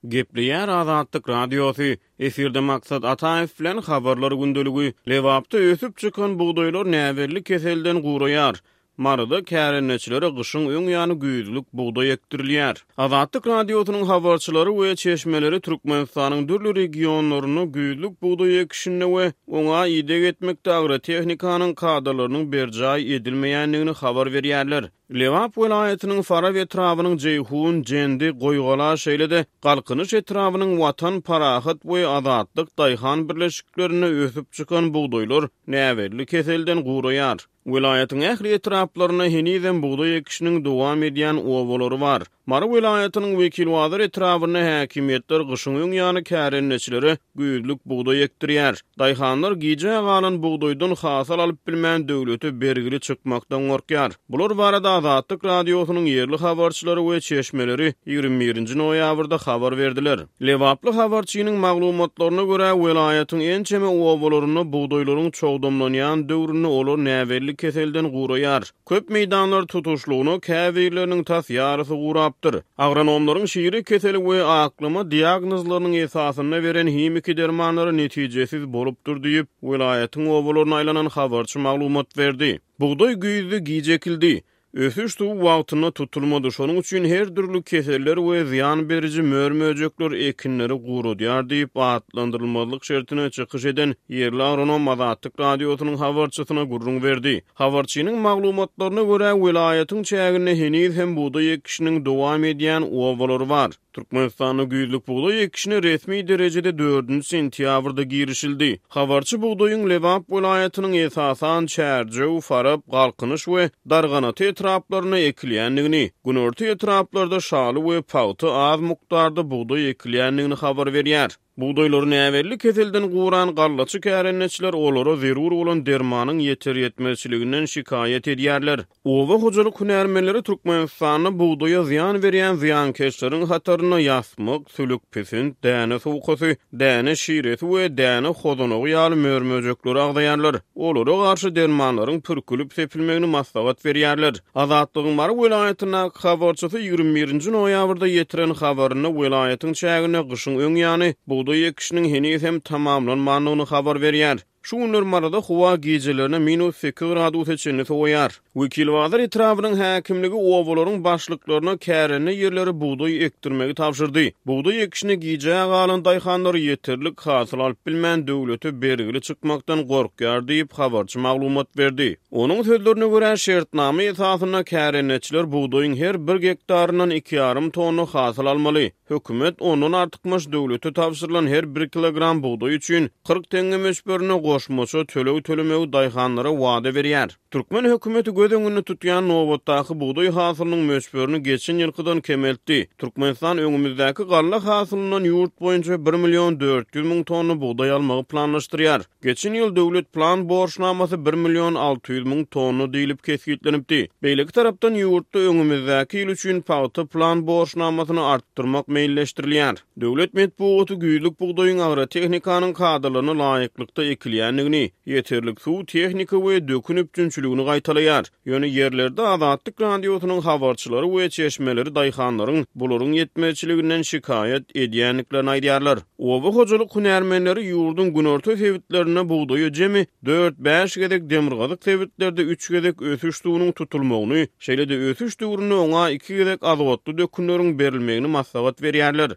Gepleýär Azatlyk Radiosy, Efirde Maksat Ataýew bilen Habarlar gündeligi. Lebapda ösüp çykan bugdaýlar näbelli keselden guraýar. Maryda kärendeçilere gyşyň öň ýany güýzlük bugdaý ekdirilýär. Azatlyk Radiosynyň habarçylary we çeşmeleri Türkmenistanyň dürli regionlarynda güýzlük bugdaý ekişinde we oňa ideg etmekde agrotehnikanyň kadalarynyň berjaý edilmeýändigini habar berýärler. Lebap welaýatynyň Farap etrabynyň Jeýhun, Jendi, Goýgala, şeýle-de Galkynyş etrabynyň Watan, Parahat we Azatlyk daýhan birleşiklerinde ösüp çykan bugdaýlar näbelli keselden guraýar. Welaýatyň ähli etraplarynda henizem bugdaý ekişiniň dowam edýän obalary bar. Mary welaýatynyň Wekilbazar etrabynda häkimiýetler gyşyň öň ýany kärendeçilere güýzlük bugdaý ekdirýär. Daýhanlar gijä galan bugdaýdan hasyl alyp bilmän döwlete bergili çykmakdan gorkýar. Bular barada Azatlyk Radiosynyň ýerli habarçylary we çeşmeleri 21-nji noýabrda habar berdiler. Lebaply habarçynyň maglumatlaryna görä, welaýatyň ençeme obalarynda bugdaýlaryň çogdamlanýan döwründe olar näbelli keselden guraýar. Köp meýdanlar tutuşlygyna, käbirleriniň tas ýarysy gurapdyr. Agronomlaryň şire keseli we aklama diagnozlarynyň esasynda beren himiki dermanlary netijesiz bolupdyr diýip, welaýatyň obalaryna aýlanan habarçy maglumat berdi. Bugdaý güýzde giç ekildi. Ösüş suwy wagtynda tutulmady, şonuň üçin her dürli keseller we zyýan beriji mör-möjekler ekinleri guradýar diýip, atlandyrylmazlyk şertine çykyş eden ýerli agronom Azatlyk Radiosynyň habarçysyna gürrüň berdi. Habarçynyň maglumatlaryna görä, welaýatyň çäginde heniz hem bugdaý ekişiniň dowam edýän obalary bar. Türkmenistanda güýzlük bugdaý ekişine resmi derejede dördünji sentýabrda girişildi. Habarçy bugdaýyň Lebap welaýatynyň esasan Çärjew, Farap, Galkynyş we Darganata etraplarynda ekilýändigini, günorta etraplarda şaly we pagta az mukdarda bugdaý ekilýändigini habar berýär. Bugdaýlary näbelli keselden guran gallaçy kärendeçiler olara zerur bolan dermanyň ýeter-ýetmezçiliginden şikaýat edýärler. Oba hojalyk hünärmenleri Türkmenistanda bugdaýa zyýan berýän zyýankeşleriň hatarynda ýasmyk, sülükpisint, däne sowkasy, däne şiresi we däne hozanagy ýaly mör-möjekleri agzaýarlar. Olara garşy dermanlaryň pürkülip sepilmegini maslahat berýärler. Azatlygyň Mary welaýatyndaky habarçysy 21-nji noýabrda ýetiren habarynda welaýatyň çäginde gyşyň öň ýany bugdaý ekişiniň heniz hem tamamlanmandygyny habar berýär. Şu günler Maryda howa gijelerine minus sekiz gradusa çenli sowaýar. Wekilbazar etrabynyň häkimligi obalaryň başlyklaryna kärende ýerlere bugdaý ekdirmegi tabşyrdy. Bugdaý ekişine gijä galan daýhanlar ýeterlik hasyl alyp bilmän döwlete bergili çykmakdan gorkýar diýip, habarçy maglumat berdi. Onuň sözlerine görä, şertnama esasynda kärendeçiler bugdaýyň her bir gektaryndan iki ýarym tonna hasyl almaly. Hökümet ondan artykmaç döwlete tabşyrylan her bir kilogram bugdaý üçin 40 teňňe möçberinde goşmaça töleg tölemegi daýhanlara wada berýär. Türkmen hökümeti göz öňünde tutýan nobatdaky bugdaý hasylynyň möçberini geçen ýylkydan kemeltdi. Türkmenistan öňümizdäki galla hasylyndan ýurt boýunça bir million 400 müň tonna bugdaý almagy planlaşdyrýar. Geçen ýyl döwlet plan borçnamasy bir million 600 müň tonna diýlip kesgitlenipdi. Beýleki tarapdan, ýurtda öňümizdäki ýyl üçin pagta plan borçnamasyny artdyrmak meýilleşdirilýär. Döwlet metbugaty güýzlük bugdaýyň agrotehnikanyň kadalaryna laýyklykda ekilýändigini, ýeterlik suw, tehnika we dökün üpjünçiligini gaýtalaýar. Ýöne ýerlerde Azatlyk Radiosynyň habarçylary we çeşmeleri daýhanlaryň bularyň ýetmezçiliginden şikaýat edýändiklerini aýdýarlar. Oba hojalyk hünärmenleri ýurduň günorta sebitlerinde bugdaýa jemi dört-bäş gezek, demirgazyk sebitlerde üç gezek ösüş suwunyň tutulmagyny, şeýle-de ösüş döwründe oňa iki gezek azotly dökünleriň berilmegini maslahat berýärler.